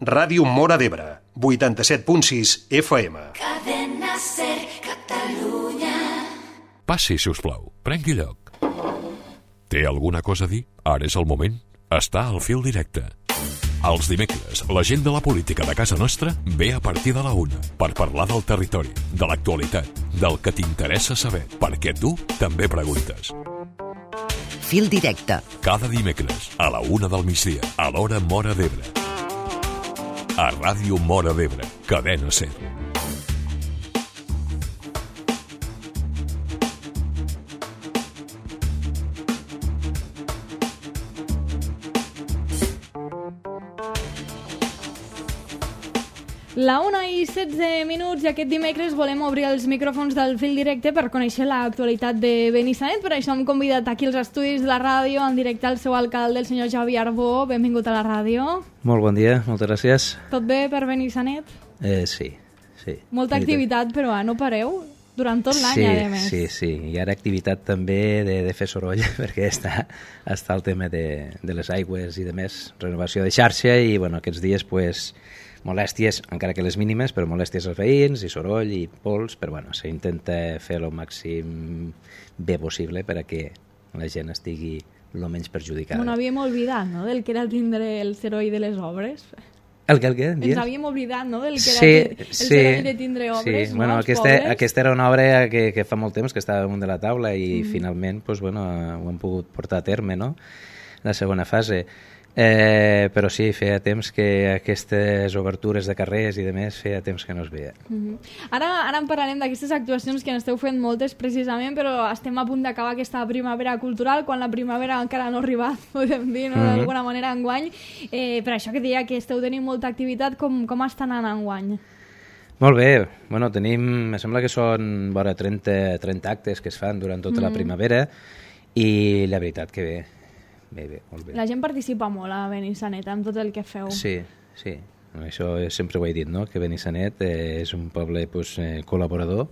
Ràdio Móra d'Ebre, 87.6 FM. Cadena Ser, Catalunya. Passi, si us plau. Prengui lloc. Té alguna cosa a dir? Ara és el moment. Està al fil directe. Els dimecres, la gent de la política de casa nostra ve a partir de la 1 per parlar del territori, de l'actualitat, del que t'interessa saber, perquè tu també preguntes. Fil directe. Cada dimecres, a la 1 del migdia, a l'hora Móra d'Ebre. A Ràdio Móra d'Ebre, Cadena Ser. La 1:16 i aquest dimecres volem obrir els micròfons del fil directe per conèixer l'actualitat de Benissanet. Per això hem convidat aquí als estudis de la ràdio, en directe al seu alcalde, el senyor Javi Arbó. Benvingut a la ràdio. Molt bon dia, moltes gràcies. Tot bé per Benissanet? Sí. Molta activitat, però no pareu durant tot l'any, a més. Sí. Hi ha activitat també de fer soroll, perquè està el tema de les aigües i de més, renovació de xarxa, i bueno, aquests dies pues, molèsties, encara que les mínimes, però molèsties als veïns, i soroll, i pols, però bueno, s'intenta fer el màxim bé possible per a que la gent estigui el menys perjudicada. No havíem oblidat, no?, del que era tindre el soroll de les obres. El què? Ens havíem oblidat, no?, del que era el soroll de tindre obres, sí. No? Bueno, aquesta era una obra que fa molt temps que estava damunt de la taula i finalment pues, bueno, ho hem pogut portar a terme, no?, la segona fase. Però sí, feia temps que aquestes obertures de carrers i de més feia temps que no es veia. Ara en parlarem d'aquestes actuacions que n'esteu fent moltes precisament, però estem a punt d'acabar aquesta primavera cultural, quan la primavera encara no ha arribat, podem dir, no? D'alguna manera enguany. Per això que deia que esteu tenint molta activitat, com està anant enguany? Molt bé, bueno, tenim, em sembla que són vora 30 actes que es fan durant tota la primavera i la veritat que bé. Bé, molt bé. La gent participa molt a Benissanet amb tot el que feu. Sí. Això sempre ho he dit, no?, que Benissanet és un poble pues, col·laborador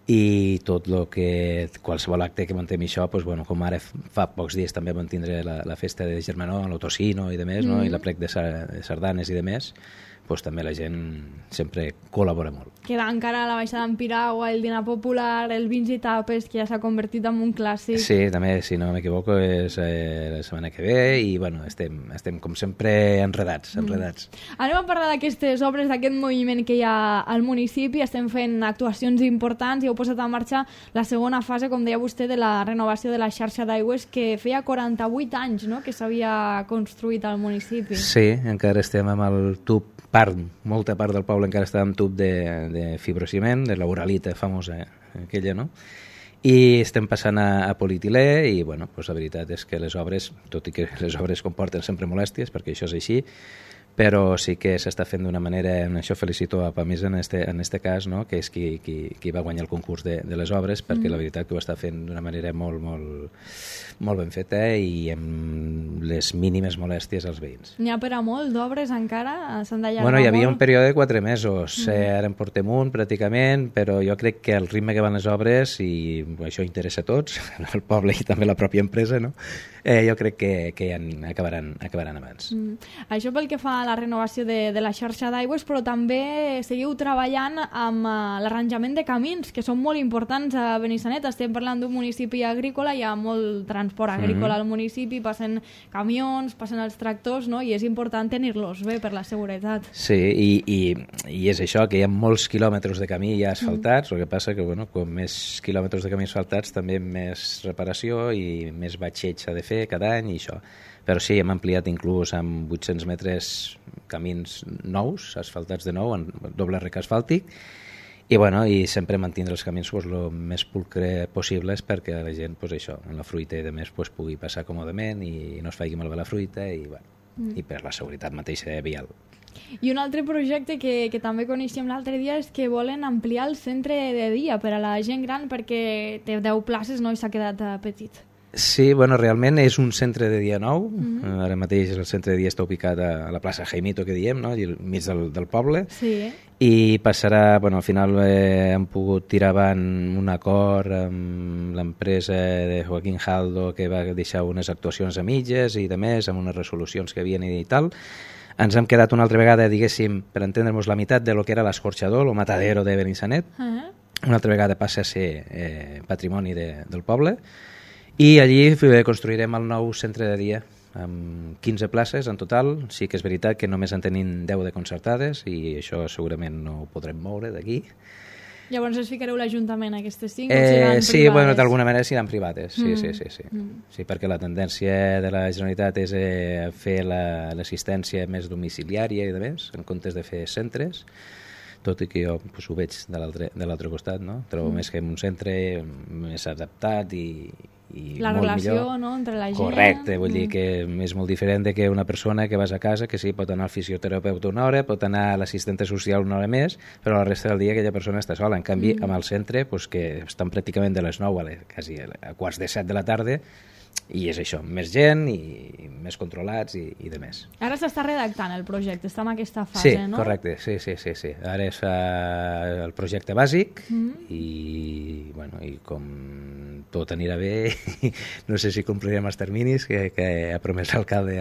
i tot el que, qualsevol acte que mantem això, pues, bueno, com ara fa pocs dies també vam tindre la festa de Germanó, l'Autocino i de més, no?, i la plec de sardanes i de més, pues, també la gent sempre col·labora molt. Queda encara la baixada en piragua, el dinar popular, el vins i tapes, que ja s'ha convertit en un clàssic. Sí, també, si no m'equivoco, és la setmana que ve i bueno, estem com sempre enredats. Anem a parlar d'aquestes obres, d'aquest moviment que hi ha al municipi. Estem fent actuacions importants i heu posat en marxa la segona fase, com deia vostè, de la renovació de la xarxa d'aigües, que feia 48 anys, no?, que s'havia construït al municipi. Sí, encara estem amb el tub, molta part del poble encara està amb tub de fibrociment, de la uralita famosa, aquella, no? I estem passant a polietilè i, bueno, pues la veritat és que les obres, tot i que les obres comporten sempre molèsties, perquè això és així, però sí que s'està fent d'una manera, en això felicito a Pamisa en este cas, no?, que és qui va guanyar el concurs de les obres, perquè la veritat que ho està fent d'una manera molt ben feta i amb les mínimes molèsties als veïns. N'hi ha per a molt d'obres encara? S'han d'allargar molt? Bueno, hi havia un període de 4 mesos, ara en portem un pràcticament, però jo crec que el ritme que van les obres, i això interessa a tots, al poble i també a la pròpia empresa, no?, jo crec que ja acabaran abans. Això pel que fa a la renovació de la xarxa d'aigües, però també seguiu treballant amb l'arranjament de camins, que són molt importants a Benissanet. Estem parlant d'un municipi agrícola, hi ha molt transport agrícola al municipi, passen camions, passen els tractors, no?, i és important tenir-los bé per la seguretat. Sí, i és això, que hi ha molts quilòmetres de camí ja asfaltats, el que passa que, bueno, com més quilòmetres de camí asfaltats, també més reparació i més batxeig s'ha de fer cada any i això. Però sí, hem ampliat inclús amb 800 metres camins nous, asfaltats de nou, en doble rec asfàltic, i, bueno, i sempre mantindre els camins pues, el més pulcre possibles perquè la gent, pues, això, en la fruita i de més, pues, pugui passar còmodament i no es faci malbé la fruita i, bueno, i per la seguretat mateixa vial. I un altre projecte que també coneixem l'altre dia és que volen ampliar el centre de dia per a la gent gran perquè té 10 places, no?, i s'ha quedat petit. Sí, bueno, realment és un centre de dia nou. Ara mateix el centre de dia està ubicat a la plaça Jaimito, que diem, no?, al mig del poble. Sí. I passarà, bueno, al final hem pogut tirar avant un acord amb l'empresa de Joaquín Haldo, que va deixar unes actuacions a mitges i de més, amb unes resolucions que havien i tal. ens hem quedat una altra vegada, diguéssim, per entendre-nos la meitat de lo que era l'escorxador, el matadero de Benissanet. Una altra vegada passa a ser patrimoni del poble, i allí construirem el nou centre de dia, amb 15 places en total. Sí que és veritat que només en tenim 10 de concertades, i això segurament no ho podrem moure d'aquí. Llavors es ficareu l'Ajuntament aquestes 5 o seran sí, privades? bueno, d'alguna manera seran privades, sí. Sí, perquè la tendència de la Generalitat és fer l'assistència més domiciliària i de més, en comptes de fer centres, tot i que jo pues, ho veig de l'altre costat, no? Trobo més que en un centre més adaptat i la molt relació, millor. no?, entre la gent. Correcte, vull dir que és molt diferent de que una persona que vas a casa, que sí, pot anar al fisioterapeuta una hora, pot anar a l'assistenta social una hora més, però la resta del dia aquella persona està sola. En canvi, amb el centre, pues, que estan pràcticament de les 9 quasi a quarts de 7 de la tarda, i és això, més gent i més controlats i de més. Ara s'està redactant el projecte, està en aquesta fase, no? Correcte, sí. Ara es fa el projecte bàsic i, bueno, i com tot anirà bé, no sé si complirem els terminis que ha promès l'alcalde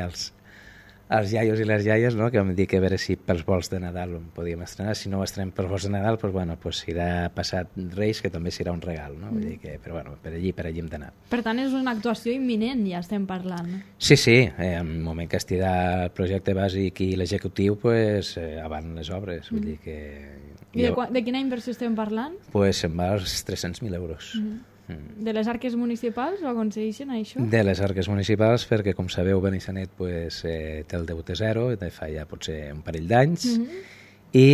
als iaios i les iaies, no? Que vam dir que a veure si pels vols de Nadal ho podíem estrenar. Si no ho estrenem pels vols de Nadal, pues, bueno, pues serà passat Reis, que també serà un regal, no? Vull dir que, però bueno, per allí hem d'anar. Per tant, és una actuació imminent, ja estem parlant. Sí, en el moment que estirà el projecte bàsic i l'executiu, pues, avant les obres. Vull dir que... I de quina inversió estem parlant? Pues se'n va als 300.000 euros. De les arques municipals ho aconsegueixen, això? De les arques municipals, perquè, com sabeu, Benissanet pues, té el deute zero, de fa ja potser un parell d'anys, i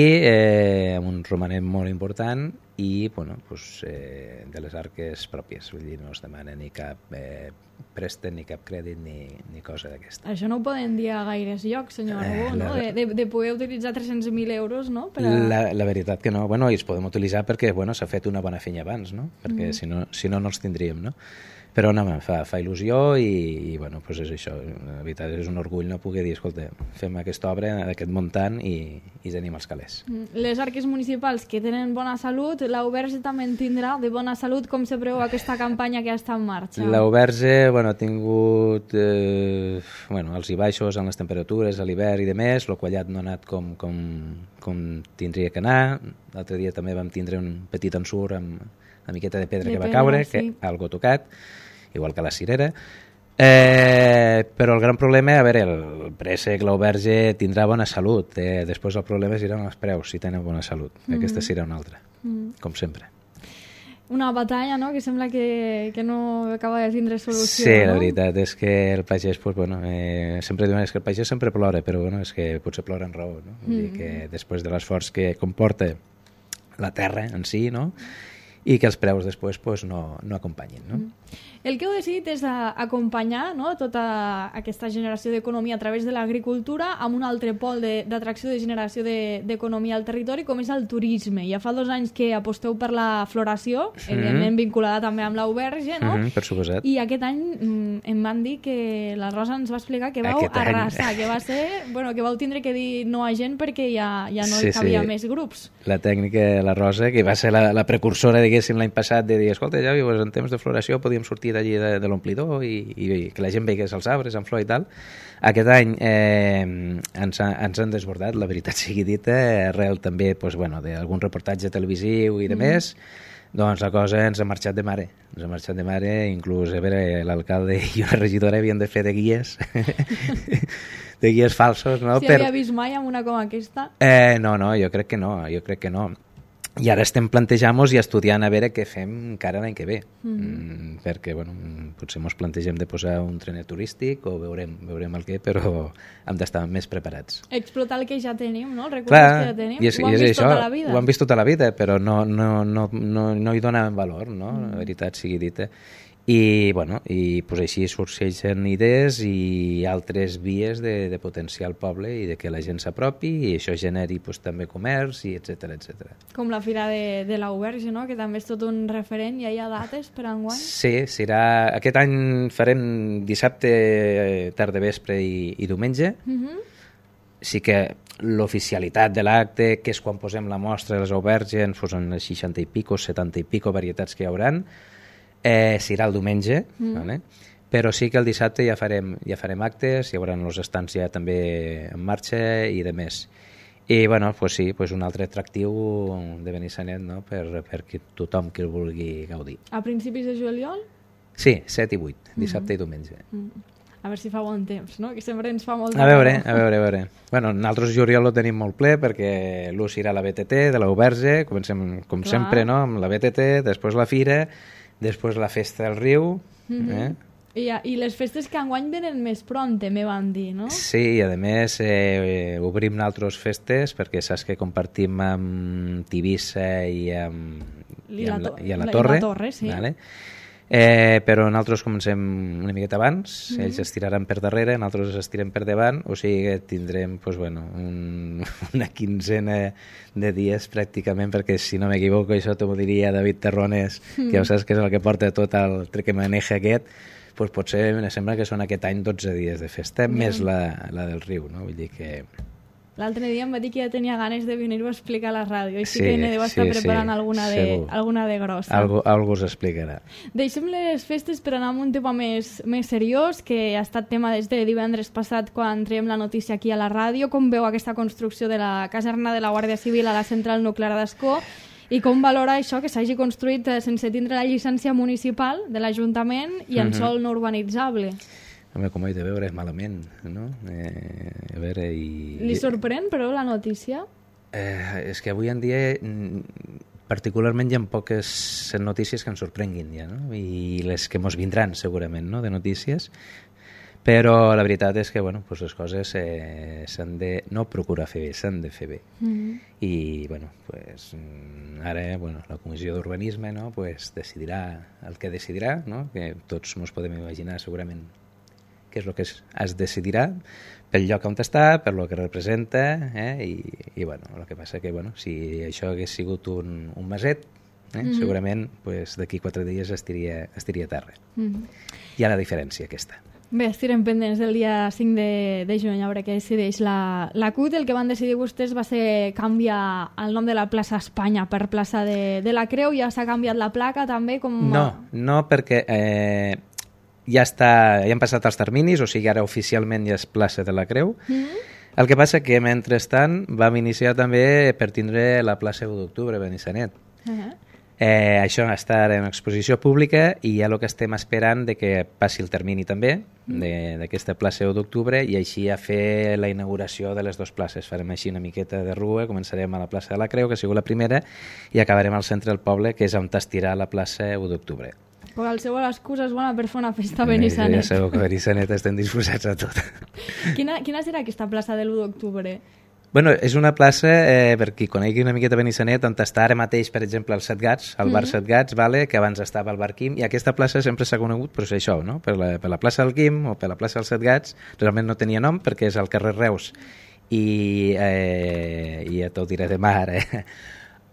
amb un romanent molt important, i bueno, pues, de les arques pròpies, vull dir, no es demana ni cap préstec, ni cap crèdit, ni cosa d'aquesta. Això no ho poden dir a gaires llocs, senyor Arbó, no? De poder utilitzar 300.000 euros, no? La veritat que no, bueno, i els podem utilitzar perquè bueno, s'ha fet una bona feina abans, no? Perquè si no els tindríem, no? Però no, fa il·lusió i bueno, pues és això, la veritat és un orgull no poder dir, escolta, fem aquesta obra d'aquest muntant i tenim els calés. Les arques municipals que tenen bona salut, l'Auberge també en tindrà de bona salut. Com se preveu aquesta campanya que està en marxa? L'Auberge, bueno, ha tingut els i baixos en les temperatures a l'hivern i de més, el quallat no ha anat com tindria que anar. L'altre dia també vam tindre un petit ensurt amb una miqueta de pedra que va caure, que algo tocat, igual que la cirera. Però el gran problema, a veure, el préssec, l'Auberge tindrà bona salut, després el problema seran els preus, si tenen bona salut. Aquesta serà una altra, com sempre. Una batalla, no?, que sembla que no acaba de tindre solució. Sí, la veritat és que el pagès, pues, bueno, sempre diuen que el pagès sempre plora, però bueno, és que potser plora en raó, no? Vull dir que després de l'esforç que comporta la terra en si, no?, i que els preus després pues, no acompanyin. No? El que heu decidit és acompanyar, no?, tota aquesta generació d'economia a través de l'agricultura amb un altre pol d'atracció de generació d'economia al territori, com és el turisme. Ja fa 2 anys que aposteu per la floració, evidentment vinculada també amb l'Auberge, no? Per suposat. I aquest any em van dir que la Rosa ens va explicar que vau arrasar, que va ser, bueno, que vau tindre que dir no a gent perquè ja no hi cabia més grups. La tècnica, la Rosa, que va ser la precursora, diguéssim, l'any passat, de dir, escolta, ja pues, en temps de floració podíem sortir d'allí de l'omplidor i que la gent veigués els arbres en flor i tal. Aquest any ens han desbordat, la veritat sigui dita, arrel també pues, bueno, d'algun reportatge televisiu i de més, doncs la cosa ens ha marxat de mare. Ens ha marxat de mare, inclús a veure, l'alcalde i una regidora havien de fer de guies de guies falsos. No? Si havia vist mai amb una com aquesta? No, jo crec que no. I ara estem plantejant-nos i estudiant a veure què fem encara l'any que ve. Perquè, bueno, potser ens plantegem de posar un trenet turístic o veurem el què, però hem d'estar més preparats. Explotar el que ja tenim, no? Els recursos que ja tenim. Ho han vist tota la vida. Ho han vist tota la vida, però no hi donaven valor, no? La veritat sigui dita. I, bueno, pues així sorgeixen idees i altres vies de potenciar el poble i de que la gent s'apropi i això generi pues, també comerç i etcètera. Com la Fira de l'Auberge, no?, que també és tot un referent. Ja hi ha dates per enguany? Sí, serà... Aquest any farem dissabte, tarda vespre i diumenge. Sí que l'oficialitat de l'acte, que és quan posem la mostra de les Auberge, ens posen les 60 i pico, 70 i pico varietats que hi hauran, serà el diumenge, vale? Però sí que el dissabte ja farem actes, hi haurà els estants ja també en marxa i de més. I bueno, pues sí, pues un altre atractiu de Benissanet, no? per tothom que el vulgui gaudir. A principis de juliol? Sí, 7 i 8, dissabte i diumenge. A veure si fa bon temps, no? Que sempre ens fa molt A veure. Bueno, nosaltres juliol ho tenim molt ple perquè l'ús irà a la BTT de l'Auberge, comencem com sempre, no? Amb la BTT, després la fira, després la festa del riu, I les festes que enguany venen més pront, me van dir, no? Sí, i a més obrim altres festes perquè saps que compartim amb Tivissa i a la Torre, sí. Vale? Però nosaltres comencem una miqueta abans, ells es tiraran per darrere, nosaltres estirem per davant, o sigui que tindrem pues, bueno, una quinzena de dies pràcticament, perquè si no m'equivoco, això t'ho diria David Terrones, que ja saps que és el que porta tot el triquemaneja aquest, pues potser em sembla que són aquest any 12 dies de festa, més la del riu, no? Vull dir que... L'altre dia em va dir que ja tenia ganes de venir-ho a explicar a la ràdio, així que ne deu estar preparant alguna de grossa. Algú us explicarà. Deixem les festes per anar amb un tema més seriós, que ha estat tema des de divendres passat quan traiem la notícia aquí a la ràdio. Com veu aquesta construcció de la caserna de la Guàrdia Civil a la central nuclear d'Ascó? I com valora això que s'hagi construït sense tindre la llicència municipal de l'Ajuntament i en sòl no urbanitzable? Home, com ho he de veure, malament, no? A veure, i... Li sorprèn, però, la notícia? És que avui en dia, particularment, hi ha poques notícies que ens sorprenguin, ja, no? I les que mos vindran, segurament, no?, de notícies. Però la veritat és que, bueno, pues les coses s'han de no procurar fer bé, s'han de fer bé. I, bueno, pues, ara, bueno, la Comissió d'Urbanisme, no?, pues, decidirà el que decidirà, no?, que tots ens podem imaginar, segurament, què és el que es decidirà pel lloc on està, per lo que representa, i bueno, el que passa que, bueno, si això hagués sigut un maset, segurament pues, d'aquí 4 dies estiria a terra. Hi ha la diferència aquesta. Bé, estirem pendents del dia 5 de juny, a veure què decideix la CUT. El que van decidir vostès va ser canviar el nom de la plaça Espanya per plaça de la Creu. Ja s'ha canviat la placa també? No, perquè ja han passat els terminis, o sigui, ara oficialment ja és plaça de la Creu. El que passa que, mentrestant, vam iniciar també per tindre la plaça 1 d'octubre a Benissanet. Això està en exposició pública i ja el que estem esperant de que passi el termini també d'aquesta plaça 1 d'octubre i així a fer la inauguració de les dues places. Farem així una miqueta de rua, començarem a la plaça de la Creu, que ha sigut la primera, i acabarem al centre del poble, que és on estirà la plaça 1 d'octubre. Qualsevol excusa és bona per fer una festa a Benissanet. Ja sabeu que a Benissanet estem disposats a tot. Quina serà aquesta plaça de l'1 d'octubre? Bueno, és una plaça, per qui conegui una miqueta Benissanet, on està ara mateix, per exemple, el Set Gats, el bar Set Gats, vale, que abans estava al bar Quim, i aquesta plaça sempre s'ha conegut per això, no? Per la plaça del Quim o per la plaça del Set Gats. Realment no tenia nom perquè és al carrer Reus i ja t'ho diré demà ara,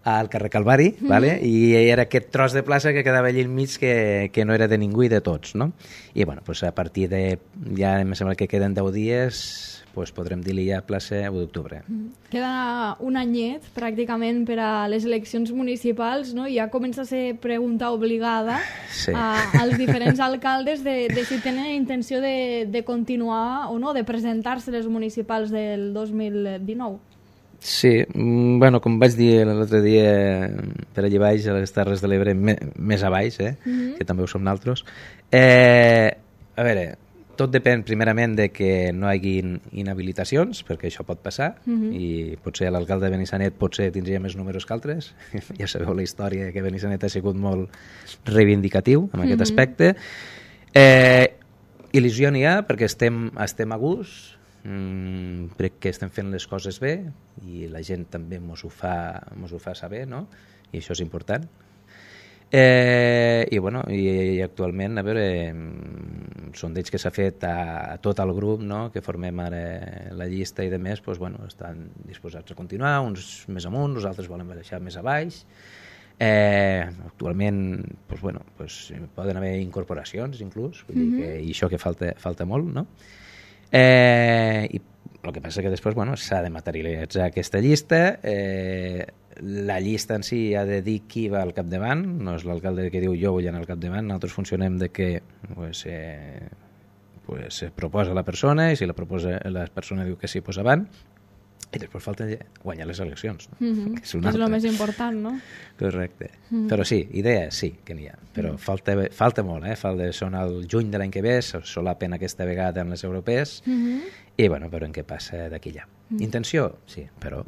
al carrer Calvari, vale? I era aquest tros de plaça que quedava allà enmig que no era de ningú i de tots, no? I bueno, pues a partir de, ja em sembla que queden 10 dies, pues podrem dir-li ja plaça 1 d'octubre. Queda un anyet pràcticament per a les eleccions municipals, no? I ja comença a ser pregunta obligada als diferents alcaldes de si tenen intenció de continuar o no, de presentar-se les municipals del 2019. Sí, bueno, com vaig dir l'altre dia per allà baix, a les Terres de l'Ebre, més a baix, que també ho som nosaltres. A veure, tot depèn primerament de que no hi hagi inhabilitacions, perquè això pot passar, i potser l'alcalde de Benissanet potser tindria més números que altres. Ja sabeu la història que Benissanet ha sigut molt reivindicatiu en aquest aspecte. Il·lusió n'hi ha perquè estem a gust, crec que estem fent les coses bé i la gent també mos ho fa saber, no? I això és important. I bueno, i actualment, a veure, sondeig que s'ha fet a tot el grup, no?, que formem ara la llista i de més, doncs, bueno, estan disposats a continuar, uns més amunt, els altres volen baixar més a baix. Actualment, doncs, bueno, doncs, poden haver incorporacions inclús, vull dir que, i això que falta molt, no? I el que passa que després, bueno, s'ha de materialitzar aquesta llista. la llista en si ha de dir qui va al capdavant, no és l'alcalde que diu jo vull anar al capdavant, nosaltres funcionem de que se proposa la persona i si la persona diu que sí, pues avant, i després falta guanyar les eleccions. No? Que és el més important, no? Correcte. Però sí, idea sí que n'hi ha, però falta molt, són al juny de l'any que ve, solapen aquesta vegada amb les europees, i bueno, veurem què passa d'aquí allà. Intenció, sí, però...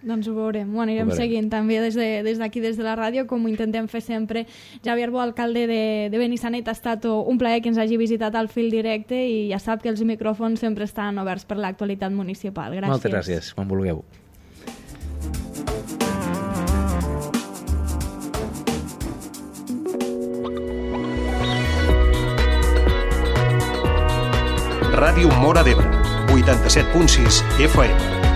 Doncs ho veurem, ho anirem seguint també des d'aquí, des de la ràdio, com ho intentem fer sempre. Javier Bo, alcalde de Benissanet, ha estat un plaer que ens hagi visitat al Fil Directe i ja sap que els micròfons sempre estan oberts per l'actualitat municipal. Gràcies. Moltes gràcies, quan vulgueu. Ràdio Móra d'Ebre, 87.6 FM.